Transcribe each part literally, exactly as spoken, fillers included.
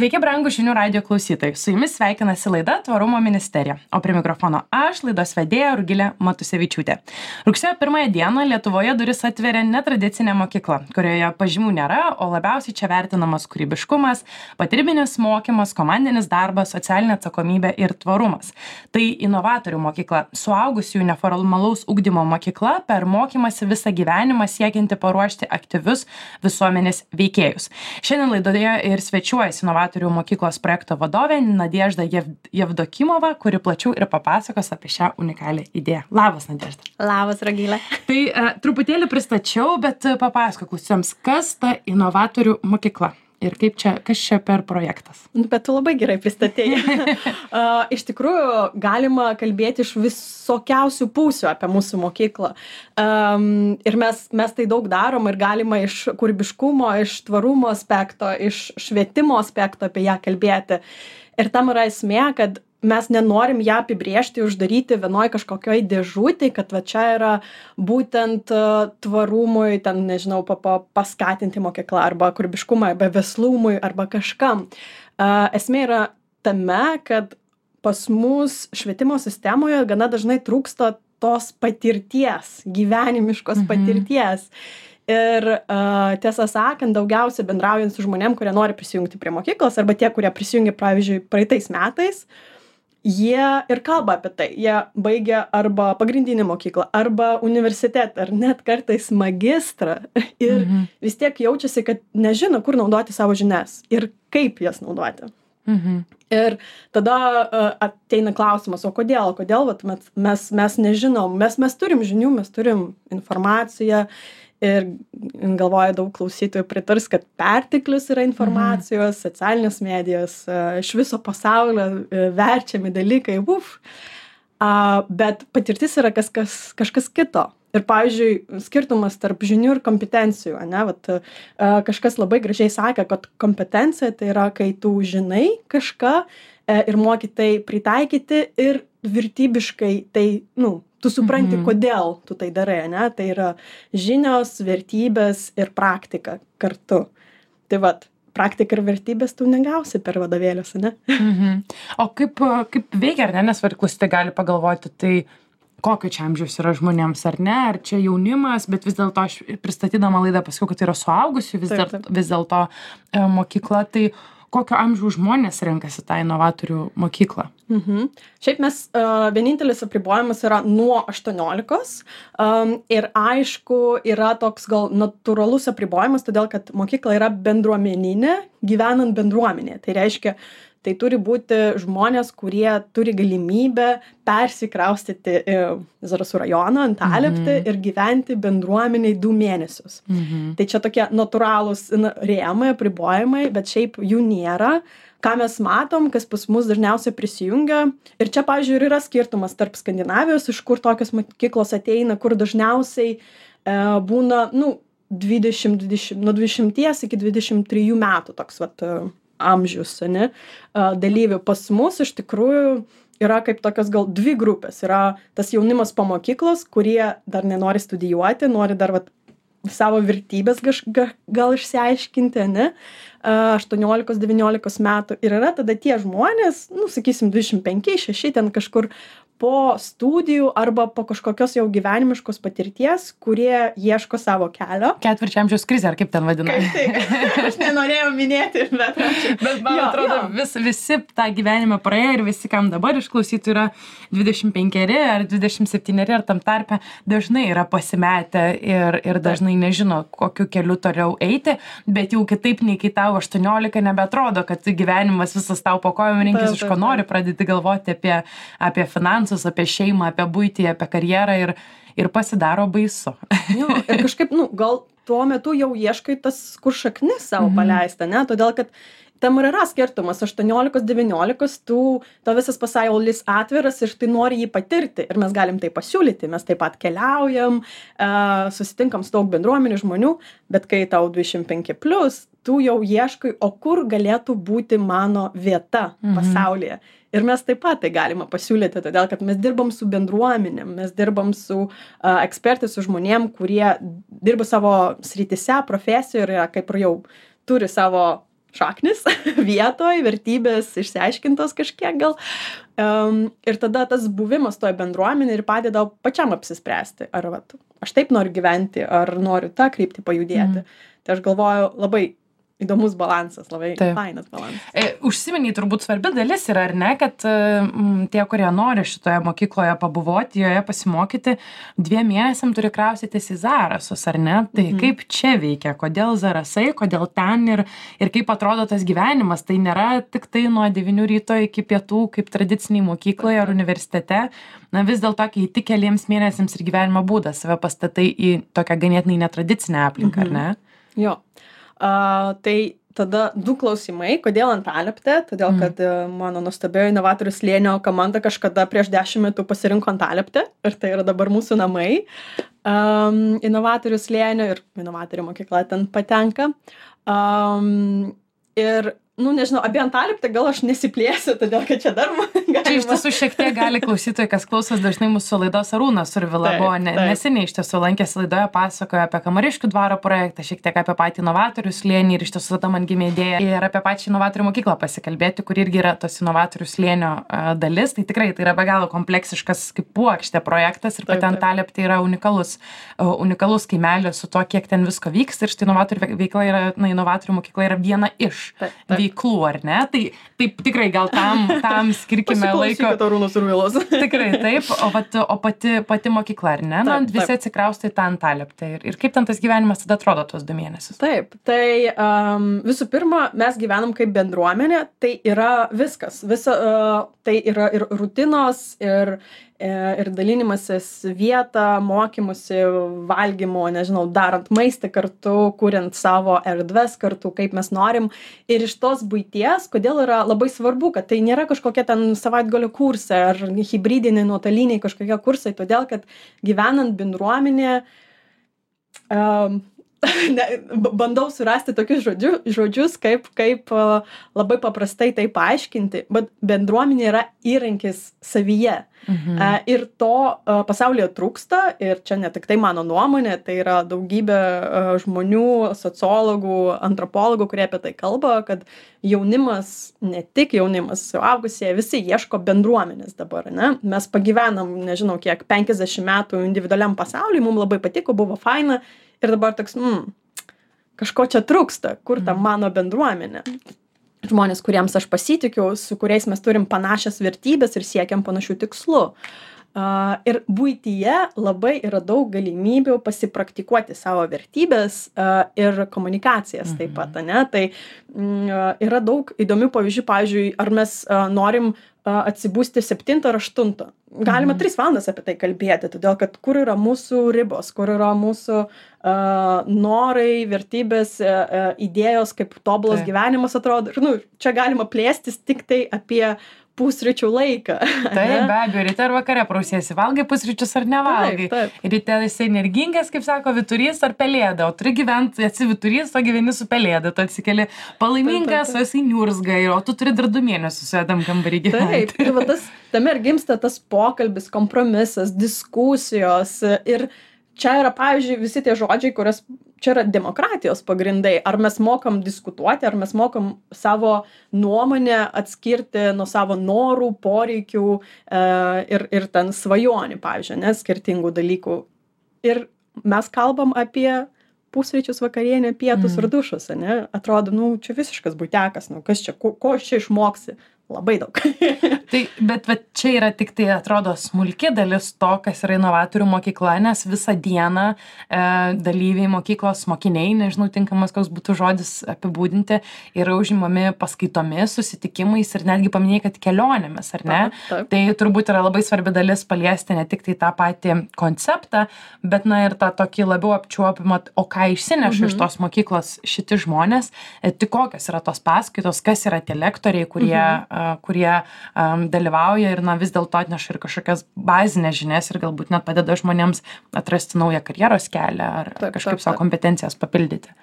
Sveiki, brangūs žinių radijo klausytojai. Su jumis sveikinasi laida Tvarumo ministerija. O prie mikrofono aš, laidos vedėja Rugilė Matusevičiūtė. Rugsėjo pirmąją dieną Lietuvoje duris atveria netradicinė mokykla, kurioje pažymių nėra, o labiausiai čia vertinamas kūrybiškumas, patirbinis mokymas, komandinis darbas, socialinė atsakomybė ir tvarumas. Tai inovatorių mokykla, suaugusiųjų neformalaus ugdymo mokykla, per mokymasi visą gyvenimą siekianti paruošti aktyvius visuomenės veikėjus. Šiandien laidoje ir svečiuojasi inovatorių mokyklos projekto vadovė Nadežda Jevdokimova, kuri plačiau ir papasakos apie šią unikalią idėją. Labas, Nadežda. Labas, Rugilė. Tai uh, truputėlį pristačiau, bet uh, papasakok klausytojams, kas ta inovatorių mokykla ir kaip čia, kas čia per projektas. Bet tu labai gerai pristatėjai. uh, iš tikrųjų, galima kalbėti iš visokiausių pusių apie mūsų mokyklą. Um, ir mes, mes tai daug darom ir galima iš kūrybiškumo, iš tvarumo aspekto, iš švietimo aspekto apie ją kalbėti. Ir tam yra esmė, kad mes nenorim ją apibrėžti, uždaryti vienoj kažkokioj dėžutėj, kad va čia yra būtent uh, tvarumui, ten, nežinau, pa, pa, paskatinti mokyklą arba kūrybiškumą, arba veslumui, arba kažkam. Uh, esmė yra tame, kad pas mus švietimo sistemoje gana dažnai trūksta tos patirties, gyvenimiškos mhm. patirties. Ir uh, tiesą sakant, daugiausia bendraujant su žmonėm, kurie nori prisijungti prie mokyklos, arba tie, kurie prisijungia, pavyzdžiui, praeitais metais, jie ir kalba apie tai. Jie baigia arba pagrindinį mokyklą, arba universitetą, ar net kartais magistrą. Ir mhm. vis tiek jaučiasi, kad nežino, kur naudoti savo žinias ir kaip jas naudoti. Mhm. Ir tada uh, ateina klausimas, o kodėl? Kodėl vat, mes, mes, mes nežinom, mes, mes turim žinių, mes turim informaciją. Ir galvoju, daug klausytojų pritars, kad perteklius yra informacijos, mhm. socialinės medijos, iš viso pasaulio verčiami dalykai, uf. Bet patirtis yra kas, kas, kažkas kito. Ir, pavyzdžiui, skirtumas tarp žinių ir kompetencijų. Ne? Vat, kažkas labai gražiai sakė, kad kompetencija tai yra, kai tu žinai kažką ir moki tai pritaikyti ir vertybiškai tai, nu, tu supranti, mhm. kodėl tu tai darai, ne? Tai yra žinios, vertybės ir praktika kartu. Tai vat, praktika ir vertybės tu negausi per vadovėlius, ne? Mhm. O kaip, kaip veikia, ar ne? Nes klausytojai gali pagalvoti, tai kokio čia amžiaus yra žmonėms, ar ne? Ar čia jaunimas, bet vis dėlto aš pristatydama laidą pasakiau, kad tai yra suaugusių vis, taip, taip. Vis dėlto e, mokykla. Tai kokio amžiaus žmonės renkasi tą inovatorių mokyklą? Mhm. Šiaip mes, uh, vienintelis apribojimas yra nuo aštuoniolikos um, ir aišku yra toks gal natūralus apribojimas, todėl kad mokykla yra bendruomeninė, gyvenant bendruomenėje. Tai reiškia, tai turi būti žmonės, kurie turi galimybę persikraustyti į Zarasų rajoną, Antalieptę mm-hmm. ir gyventi bendruomeniai du mėnesius. Mm-hmm. Tai čia tokie natūralūs rėmai, apribojimai, bet šiaip jų nėra. Ką mes matom, kas pas mus dažniausiai prisijungia. Ir čia, pavyzdžiui, ir yra skirtumas tarp Skandinavijos, iš kur tokios mokyklos ateina, kur dažniausiai e, būna, nu, dvidešimt, dvidešimt, nuo dvidešimties iki dvidešimt trijų metų toks, vat, amžius, ne, dalyvių. Pas mus iš tikrųjų yra kaip tokios gal dvi grupės. Yra tas jaunimas po mokyklos, kurie dar nenori studijuoti, nori dar vat, savo vertybės gal, gal išsiaiškinti, ne, aštuoniolikos devyniolikos metų. Ir yra tada tie žmonės, nu, sakysim, dvidešimt penki šeši ten kažkur po studijų arba po kažkokios jau gyvenimiškos patirties, kurie ieško savo kelio. Ketvirčio amžiaus krizė, ar kaip ten vadina? Kaip tai? Aš nenorėjau minėti, bet... bet man jo, atrodo, jo. Vis, visi tą gyvenimą praėjo ir visi, kam dabar išklausyti, yra dvidešimt penkeri ar dvidešimt septyneri ar tam tarpe, dažnai yra pasimetę ir, ir dažnai nežino, kokiu keliu toliau eiti, bet jau kitaip nei kai tau aštuoniolika nebeatrodo, kad gyvenimas visas tau po kojom rinkis, iš ko nori, pradėti galvoti apie, apie finansus, apie šeimą, apie buitį, apie karjerą ir, ir pasidaro baisu. Jo, ir kažkaip, nu, gal tuo metu jau ieškai tas, kur šaknis savo mm-hmm. paleista, ne? Todėl, kad tam ir yra skirtumas, aštuoniolikos devyniolikos, tu, to visas pasaulis atviras ir tai nori jį patirti. Ir mes galim tai pasiūlyti, mes taip pat keliaujam, uh, susitinkam su daug bendruomenių žmonių, bet kai tau dvidešimt penki plus, tu jau ieškai, o kur galėtų būti mano vieta mhm. pasaulyje. Ir mes taip pat tai galima pasiūlyti, todėl kad mes dirbam su bendruomenėm, mes dirbam su uh, ekspertais, su žmonėm, kurie dirba savo srityse, profesijoje ir kaip ir jau turi savo šaknis vietoj, vertybės išsiaiškintos kažkiek gal. Um, ir tada tas buvimas toje bendruomenė ir padeda pačiam apsispręsti, ar vat, aš taip noriu gyventi, ar noriu tą kryptį pajudėti. Mm. Tai aš galvoju, labai įdomus balansas, labai Taip. Fainas balansas. E, užsiminiai, turbūt svarbi dalis yra, ar ne, kad m, tie, kurie nori šitoje mokykloje pabuvoti, joje pasimokyti, dviem mėnesiam turi kraustytis į Zarasus, ar ne? Tai mhm. kaip čia veikia, kodėl Zarasai, kodėl ten ir, ir kaip atrodo tas gyvenimas. Tai nėra tik tai nuo devynių ryto iki pietų, kaip tradiciniai mokykloje ar universitete. Na vis dėlto, kai tik keliems mėnesiams ir gyvenimo būdas save pastatai į tokią ganėtinai netradicinę aplinką, mhm. ar ne? Jo. Uh, tai tada du klausimai, kodėl Antalieptė, todėl kad mm. mano nuostabioji inovatorių slėnio komanda kažkada prieš dešimt metų pasirinko Antalieptę ir tai yra dabar mūsų namai um, inovatorių slėnio ir inovatorių mokykla ten patenka. Um, ir nu, nežinau, apie Antalieptę gal aš nesiplėsiu, todėl, kad čia dar man galima. Čia iš tiesų šiek tiek gali klausytojai, kas klausos dažnai mūsų laidos Arūnas Survila buvo ne, neseniai iš tiesų lankėsi laidoje, pasakojo apie Kamariškių dvaro projektą, šiek tiek apie patį inovatorių slėnį ir iš tiesų tada man gimė idėja ir apie pačią inovatorių mokyklą pasikalbėti, kur irgi yra tos inovatorių slėnio uh, dalis. Tai tikrai tai yra be galo kompleksiškas kaip puokštė projektas ir pati Antalieptė yra unikalus, uh, unikalus kaimelis su to, kiek ten visko vyksta ir štai inovatorių veikla yra, na, inovatorių mokykla yra viena iš taip, taip. Veiklų, ar ne? Tai taip tikrai gal tam, tam skirkime laiko. Arūnas Survilos. Tikrai taip, o, vat, o pati, pati mokykla, ar ne? Taip, visi atsikraustai tą Antalieptę. Ir, ir kaip ten tas gyvenimas tada atrodo tuos du mėnesius? Taip, tai um, visų pirma, mes gyvenam kaip bendruomenė, tai yra viskas. Visa, uh, tai yra ir rutinos, ir ir dalinimasis vietą, mokymusi, valgymo, nežinau, darant maistą kartu, kuriant savo erdves kartu, kaip mes norim. Ir iš tos buities, kodėl yra labai svarbu, kad tai nėra kažkokie ten savaitgalio kursai ar hibridiniai, nuotoliniai kažkokie kursai, todėl kad gyvenant bendruomenėje, um, ne, bandau surasti tokius žodžiu, žodžius, kaip, kaip uh, labai paprastai tai paaiškinti, bet bendruomenė yra įrankis savyje. Mhm. Uh, ir to uh, pasaulyje trūksta ir čia ne tik tai mano nuomonė, tai yra daugybė uh, žmonių, sociologų, antropologų, kurie apie tai kalba, kad jaunimas, ne tik jaunimas, suaugusieji, visi ieško bendruomenės dabar, ne? Mes pagyvenam, nežinau kiek, penkiasdešimt metų individualiam pasauliui, mums labai patiko, buvo faina. Ir dabar toks, mm, kažko čia trūksta, kur ta mano bendruomenė. Žmonės, kuriems aš pasitikiu, su kuriais mes turim panašias vertybės ir siekiam panašių tikslų. Uh, ir buityje labai yra daug galimybių pasipraktikuoti savo vertybės uh, ir komunikacijas taip pat, ne? Tai uh, yra daug įdomių pavyzdžių, pavyzdžiui, ar mes uh, norim uh, atsibusti septintą ar aštuntą. Galima tris valandas apie tai kalbėti, todėl kad kur yra mūsų ribos, kur yra mūsų uh, norai, vertybės, uh, idėjos, kaip tobulas tai. Gyvenimas atrodo. Ir, nu, čia galima plėstis tik tai apie pusryčių laiką. Taip, be abejo, ryte ar vakare prausiesi, valgai pusryčius ar nevalgai. Taip, taip. Ryte esi energingas, kaip sako, vyturys ar pelėda, o turi gyventi, esi vyturys, o gyveni su pelėda, tu atsikeli palaimingas, o esi niurzgai, o tu turi dar du mėnesius su jedam kambarį gyventi. Taip, ir va tas, tame ir gimsta tas pokalbis, kompromisas, diskusijos ir čia yra, pavyzdžiui, visi tie žodžiai, kurias čia yra demokratijos pagrindai. Ar mes mokam diskutuoti, ar mes mokam savo nuomonę atskirti nuo savo norų, poreikių e, ir, ir ten svajonių, pavyzdžiui, ne, skirtingų dalykų. Ir mes kalbam apie pusryčius, vakarienę, pietus mm. ir dušus, ne? Atrodo, nu, čia visiškas buitekas, nu, kas čia, ko, ko čia išmoksi? Labai daug. Tai, bet va, čia yra tik tai, atrodo, smulki dalis to, kas yra inovatorių mokykla, nes visą dieną e, dalyviai mokyklos mokiniai, nežinau, tinkamas koks būtų žodis apibūdinti, yra užimami paskaitomis, susitikimais ir netgi paminėjai, kad kelionėmis, ar ne? Taip, taip. Tai turbūt yra labai svarbi dalis paliesti ne tik tai tą patį konceptą, bet, na, ir tą tokį labiau apčiuopimą, o ką išsineša mhm. iš tos mokyklos šiti žmonės, e, tik kokios yra tos paskaitos, kas yra tie lektoriai, kurie mhm. kurie um, dalyvauja ir na, vis dėlto atneša ir kažkokias bazinės žinias ir galbūt net padeda žmonėms atrasti naują karjeros kelią ar taip, kažkaip taip, savo kompetencijas papildyti.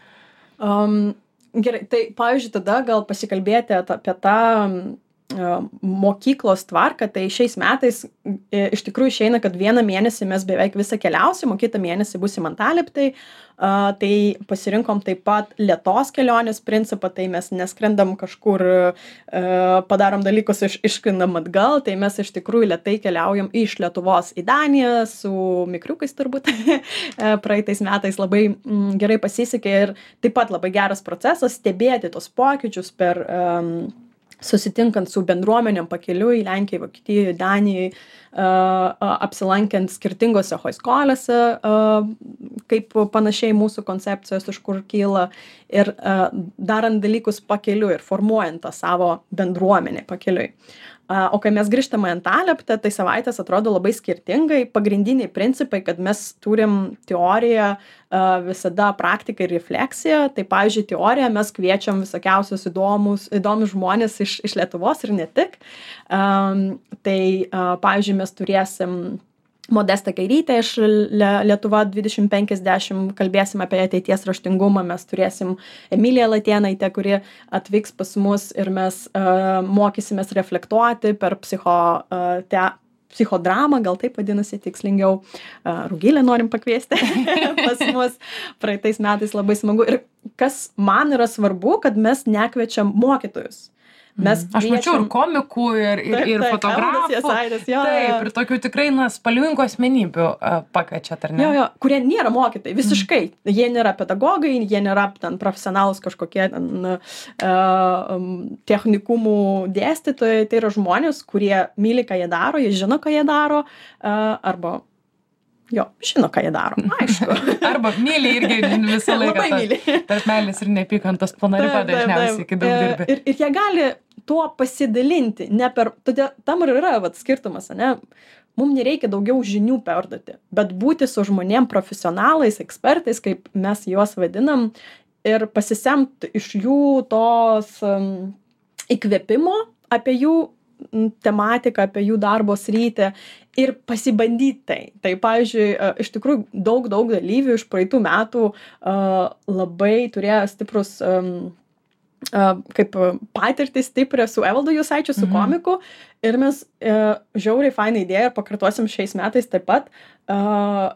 Um, gerai, tai pavyzdžiui, tada gal pasikalbėti apie tą mokyklos tvarką, tai šiais metais iš tikrųjų išeina, kad vieną mėnesį mes beveik visą keliausim, o kitą mėnesį būsim Antalieptėj. Uh, tai pasirinkom taip pat lėtos kelionės principą, tai mes neskrendam kažkur, uh, padarom dalykus, iš, išskrendam atgal, tai mes iš tikrųjų lėtai keliaujam iš Lietuvos į Daniją su mikriukais turbūt. Praeitais metais labai mm, gerai pasisekė ir taip pat labai geras procesas stebėti tos pokyčius per um, susitinkant su bendruomenėm pakeliui Lenkijai, Vokietijai, Danijai, uh, apsilankiant skirtingose hoiskolėse, uh, kaip panašiai mūsų koncepcijos, iš kur kyla, ir uh, darant dalykus pakeliui ir formuojant tą savo bendruomenę pakeliui. Uh, o kai mes grįžtam į Antalieptę, tai savaitės atrodo labai skirtingai. Pagrindiniai principai, kad mes turim teoriją, uh, visada praktiką ir refleksiją. Tai, pavyzdžiui, teoriją mes kviečiam visokiausius įdomus, įdomus žmonės iš, iš Lietuvos ir ne tik. Um, tai, uh, pavyzdžiui, mes turėsim Modestą Kairytę iš Lietuva dvidešimt penkiasdešimt, kalbėsim apie ateities raštingumą, mes turėsim Emiliją Latėnaitę, kuri atvyks pas mus ir mes uh, mokysimės reflektuoti per psicho, uh, te, psichodramą, gal taip vadinasi tikslingiau. Uh, Rugilę norim pakviesti pas mus. Praeitais metais labai smagu. Ir kas man yra svarbu, kad mes nekviečiam mokytojus. Mes Aš mačiau ir komikų, ir, ir, Taip, ir taip, fotografų. Jasaitis, jo, Taip, jo. ir tokių tikrai, na, spalvingų asmenybių uh, pakviečiat, ar ne? Jo, jo, kurie nėra mokytojai, visiškai. Mm. Jie nėra pedagogai, jie nėra ten profesionalus kažkokie ten, uh, technikumų dėstytojai. Tai yra žmonės, kurie myli, ką jie daro, jie žino, ką jie daro, uh, arba jo, žino, ką jie daro, aišku. Arba myli irgi visą laiką. Labai myli. Tarp meilės ir nepykantos plona riba dažniausiai, kai daug dirbi. Ir, ir jie gali tuo pasidalinti, ne per, todėl tam ir yra vat, skirtumas, ne? Mums nereikia daugiau žinių perduoti, bet būti su žmonėm profesionalais, ekspertais, kaip mes juos vadinam, ir pasisemti iš jų tos um, įkvėpimo apie jų tematiką, apie jų darbo sritį ir pasibandyti tai. Tai, pavyzdžiui, iš tikrųjų daug, daug dalyvių iš praeitų metų uh, labai turėjo stiprus um, uh, kaip patirtį stiprią su Evaldu Jusaičiu, su Mhm. komiku, ir mes uh, žiauriai fainą idėją ir pakartosim šiais metais taip pat, uh,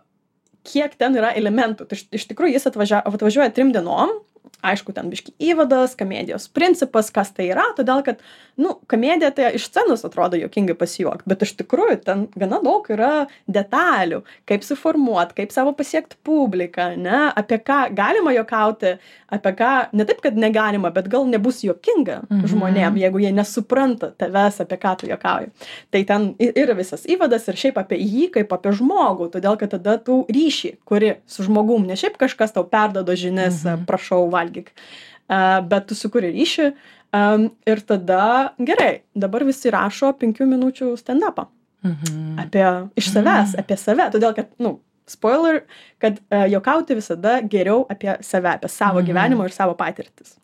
kiek ten yra elementų. Tai iš, iš tikrųjų jis atvažia, atvažiuoja trim dienom, aišku, ten biški įvadas, komedijos principas, kas tai yra, todėl kad, nu, komedija tai iš scenos atrodo juokingai pasijuokti, bet iš tikrųjų ten gana daug yra detalių, kaip suformuoti, kaip savo pasiekti publiką, ne, apie ką galima juokauti, apie ką, ne taip, kad negalima, bet gal nebus juokinga Mhm. žmonėm, jeigu jie nesupranta tavęs, apie ką tu juokauji. Tai ten yra visas įvadas ir šiaip apie jį kaip apie žmogų, todėl kad tada tu ryšį, kuri su žmogum, ne šiaip kažkas tau perdodo žinias, Mhm. prašau valgyk, uh, bet tu sukuri ryšį um, ir tada gerai, dabar visi rašo penkių minučių stand-upą Mhm. apie iš savęs, apie save, todėl kad, nu, spoiler, kad uh, juokauti visada geriau apie save, apie savo Mhm. gyvenimą ir savo patirtis.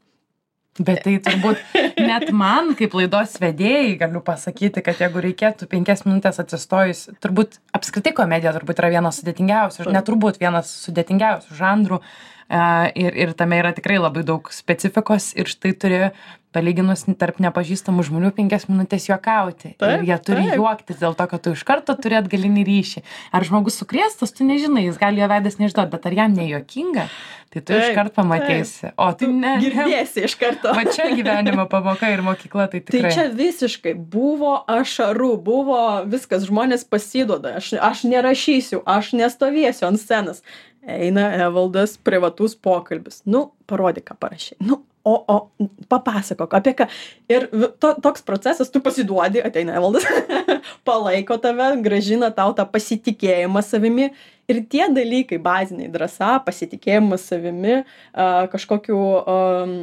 Bet tai turbūt net man, kaip laidos vedėjai, galiu pasakyti, kad jeigu reikėtų penkias minutės atsistojus, turbūt apskritai komedija turbūt yra vienas sudėtingiausių, ir neturbūt vienas sudėtingiausių žanrų. Uh, ir, ir tame yra tikrai labai daug specifikos ir štai turi, palyginus tarp nepažįstamų žmonių, penkias minutės juokauti. Taip, ir jie turi taip. juoktis dėl to, kad tu iš karto turi atgalinį ryšį. Ar žmogus sukrėstas, tu nežinai, jis gali jo veidas neišduoti, bet ar jam nejuokinga, tai tu Taip, iš karto pamatysi. O tai ne. Girdėsi iš karto. Va čia gyvenimo pamoka ir mokykla, tai Tai tikrai. čia visiškai buvo ašarų, buvo viskas, žmonės pasiduoda, aš, aš nerašysiu, aš nestovėsiu ant scenos. Eina Evaldas, privatus pokalbis. Nu, parodyk, ką parašai. Nu, o, o, papasakok, apie ką. Ir vi- to, toks procesas, tu pasiduodi, ateina Evaldas, palaiko tave, gražina tau tą pasitikėjimą savimi. Ir tie dalykai, baziniai, drąsa, pasitikėjimas savimi, a, kažkokių um,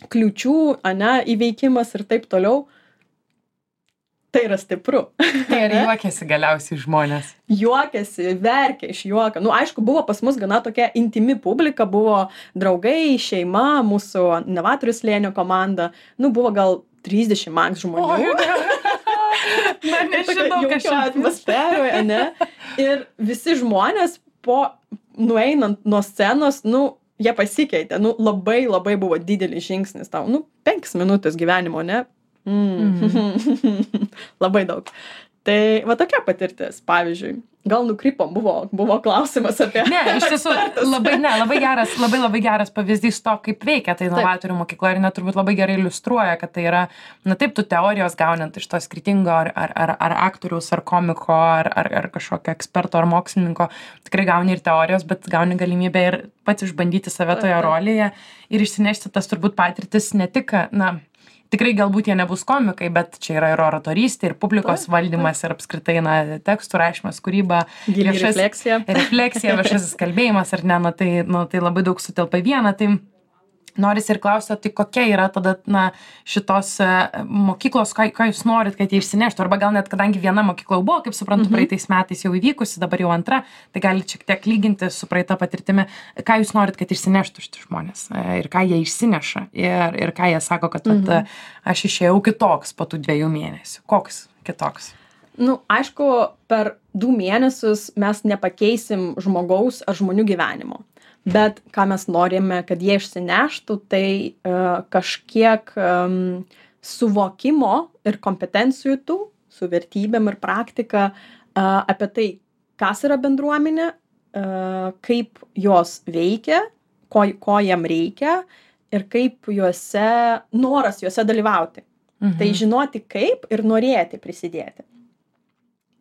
kliūčių, ane, įveikimas ir taip toliau. Tai yra stipru. Tai ir juokiasi galiausiai žmonės. Juokiasi, verkia iš juoko. Nu, aišku, buvo pas mus gana tokia intimi publika, buvo draugai, šeima, mūsų Novatorių slėnio komanda. Nu, buvo gal trisdešimt maks žmonių. Na, nežinau, kas čia atmosferoje, ne? Ir visi žmonės po nueinant nuo scenos, nu, jie pasikeitė. Nu, labai, labai buvo didelis žingsnis tau. Nu, penkias minutės gyvenimo, ne? Mm. Labai daug. Tai va tokia patirtis, pavyzdžiui. Gal nukrypom, buvo, buvo klausimas apie... Ne, iš tiesų, labai, ne, labai geras, labai labai geras pavyzdys to, kaip veikia tai inovatorių mokykla ir net turbūt labai gerai iliustruoja, kad tai yra, na taip, tu teorijos gaunant iš to skirtingo ar, ar, ar, ar aktoriaus, ar komiko, ar, ar, ar kažkokio eksperto, ar mokslininko, tikrai gauni ir teorijos, bet gauni galimybę ir pats išbandyti save toje rolėje ir išsinešti tas turbūt patirtis ne tik, na, tikrai galbūt jie nebus komikai, bet čia yra ir oratorystė, ir publikos taip, valdymas, taip. Ir apskritai, na, tekstų rašymas, kūryba, viešas, refleksija. refleksija, viešasis kalbėjimas, ar ne, na, tai, nu, tai labai daug sutelpa į vieną. Tai norisi ir klausti, tai kokia yra tada, na, šitos uh, mokyklos, ką, ką jūs norit, kad jie išsineštų, arba gal net, kadangi viena mokykla buvo, kaip suprantu, mm-hmm. praeitais metais jau įvykusi, dabar jau antra, tai galite šiek tiek lyginti su praeita patirtimi, ką jūs norit, kad išsineštų šitie žmonės ir ką jie išsineša ir, ir ką jie sako, kad mm-hmm. vat, aš išėjau kitoks po tų dviejų mėnesių. Koks kitoks? Nu, aišku, per du mėnesius mes nepakeisim žmogaus ar žmonių gyvenimo. Bet ką mes norime, kad jie išsineštų, tai uh, kažkiek um, suvokimo ir kompetencijų tų, su vertybėm ir praktika uh, apie tai, kas yra bendruomenė, uh, kaip jos veikia, ko, ko jam reikia ir kaip juose, noras juose dalyvauti. Mhm. Tai žinoti kaip ir norėti prisidėti.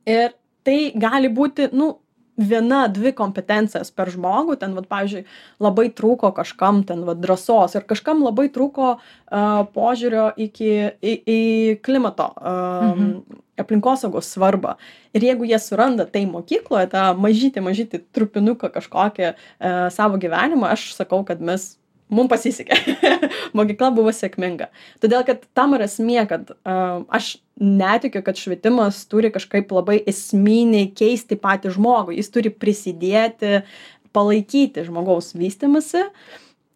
Ir tai gali būti, nu, viena, dvi kompetencijas per žmogų, ten, vat, pavyzdžiui, labai trūko kažkam ten, vat, drąsos ir kažkam labai trūko uh, požiūrio iki, į, į klimato, uh, mhm. aplinkosaugos svarbą. Ir jeigu jie suranda tai mokykloje, tą mažytį, mažytį trupinuką kažkokią uh, savo gyvenimą, aš sakau, kad mes mums pasisekė. Mokykla buvo sėkminga. Todėl, kad tam yra esmė, kad uh, aš netikiu, kad švietimas turi kažkaip labai esminiai keisti patį žmogų. Jis turi prisidėti, palaikyti žmogaus vystymasi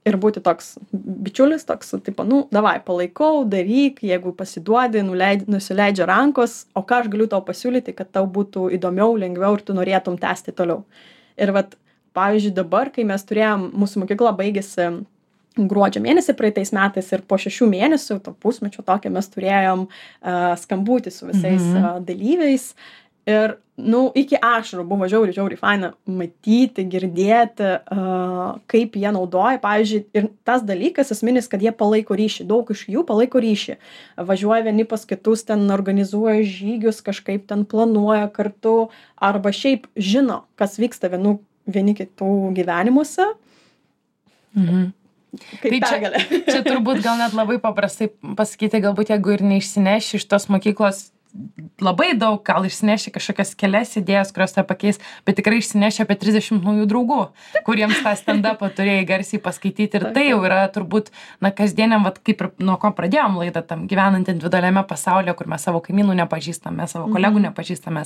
ir būti toks bičiulis, toks, tipo, nu, davai, palaikau, daryk, jeigu pasiduodi, nuleid, nusileidžia rankos, o ką aš galiu tau pasiūlyti, kad tau būtų įdomiau, lengviau ir tu norėtum tęsti toliau. Ir vat, pavyzdžiui, dabar, kai mes turėjom, mūsų mokykla baigėsi gruodžio mėnesį praeitais metais ir po šešių mėnesių, to pusmečio tokio mes turėjom uh, skambutį su visais mm-hmm. uh, dalyviais ir, nu, iki ašarų buvo žiauriai, žiauriai faina matyti, girdėti, uh, kaip jie naudoja, pavyzdžiui, ir tas dalykas esminis, kad jie palaiko ryšį, daug iš jų palaiko ryšį, važiuoja vieni pas kitus, ten organizuoja žygius, kažkaip ten planuoja kartu, arba šiaip žino, kas vyksta vienu, vieni kitų gyvenimuose. Mhm. Kaip tai čia, čia turbūt gal net labai paprastai pasakyti, galbūt jeigu ir neišsineši iš tos mokyklos labai daug, gal išsineši kažkokias kelias idėjas, kurios tą pakeis, bet tikrai išsineši apie trisdešimt naujų draugų, kuriems tą stand-upą turėjai garsiai paskaityti ir tai jau yra turbūt, na, kasdieniam, vat, kaip ir nuo ko pradėjom laidą, tam gyvenant individualiame pasaulyje, kur mes savo kaimynų nepažįstame, savo kolegų mm-hmm. nepažįstame,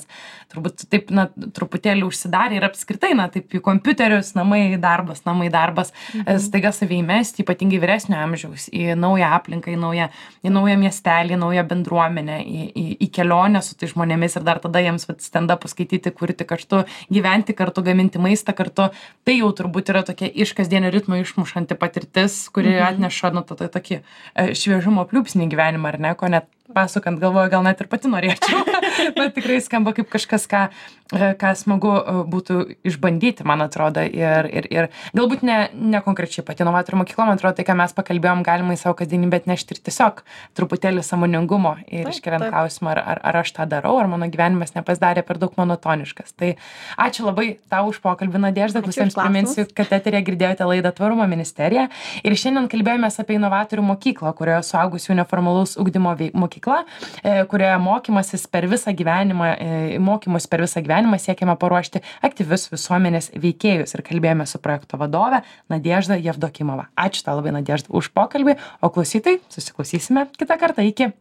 turbūt taip, na, truputėlį užsidarė ir apskritai, na, taip į kompiuterius, namai darbas, namai darbas, mm-hmm. staiga save įmesti, ypatingai vyresnio amžiaus, į naują aplinką, į naują, į naują miestelį, į naują bendruomenę, į, į, į kelionę su tai žmonėmis ir dar tada jiems stand-upą skaityti, kurti kartu, gyventi kartu, gaminti maistą kartu. Tai jau turbūt yra tokia iš kasdienio ritmo išmušanti patirtis, kuri mhm. atneša, nu, tą tokį šviežumo pliūpsnį gyvenimą, ar ne, ko net pasukant galvoju, gal net ir pati norėčiau, bet tikrai skamba kaip kažkas, ką, ką smagu būtų išbandyti, man atrodo, ir, ir, ir galbūt ne, ne konkrečiai pati inovatorių mokykla, man atrodo, tai, ką mes pakalbėjom, galima į savo kasdienybę atnešti ir tiesiog truputėlį sąmoningumo ir iškeliant klausimą, ar, ar, ar aš tą darau, ar mano gyvenimas nepasidarė per daug monotoniškas. Tai ačiū labai tau už pokalbį, Nadežda, klausytojams priminsiu, kad eteryje girdėjote laidą Tvarumo ministerija ir šiandien kalbėjomės apie inovatorių mokyklą, kurioje suaugusių neformalaus ugdymo mokykla mokykla, kurioje mokymasis per visą gyvenimą, mokymus per visą gyvenimą siekiama paruošti aktyvius visuomenės veikėjus ir kalbėjome su projekto vadove Nadežda Jevdokimova. Ačiū tau labai, Nadežda, už pokalbį, o klausytojai susiklausysime kitą kartą. Iki.